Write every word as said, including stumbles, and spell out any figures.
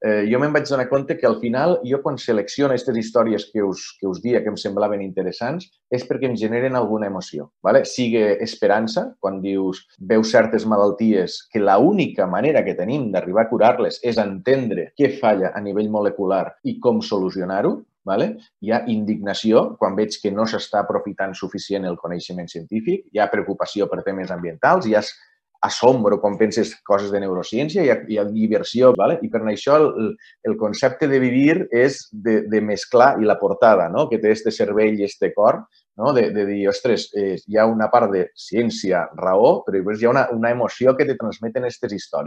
eh, jo me'n vaig donar compte que al final jo quan selecciono aquestes històries que us, que us dia que em semblaven interessants és perquè em generen alguna emoció. ¿Vale? Sigue esperança, quan dius veus certes malalties que l'única manera que tenim d'arribar a curar-les és entendre què falla a nivell molecular i com solucionar-ho. Vale? Hi ha indignació quan veig que no s'està aprofitant suficient el coneixement científic, hi ha preocupació per temes ambientals, hi ha assombro quan penses coses de neurociència, hi ha, hi ha diversió, ¿vale? I per això el, el concepte de vivir és de, de mesclar i la portada, no? Que té este cervell i este cor, no? de, de dir, ostres, eh, hi ha una part de ciència, raó, però després hi ha una, una emoció que te transmeten aquestes històries.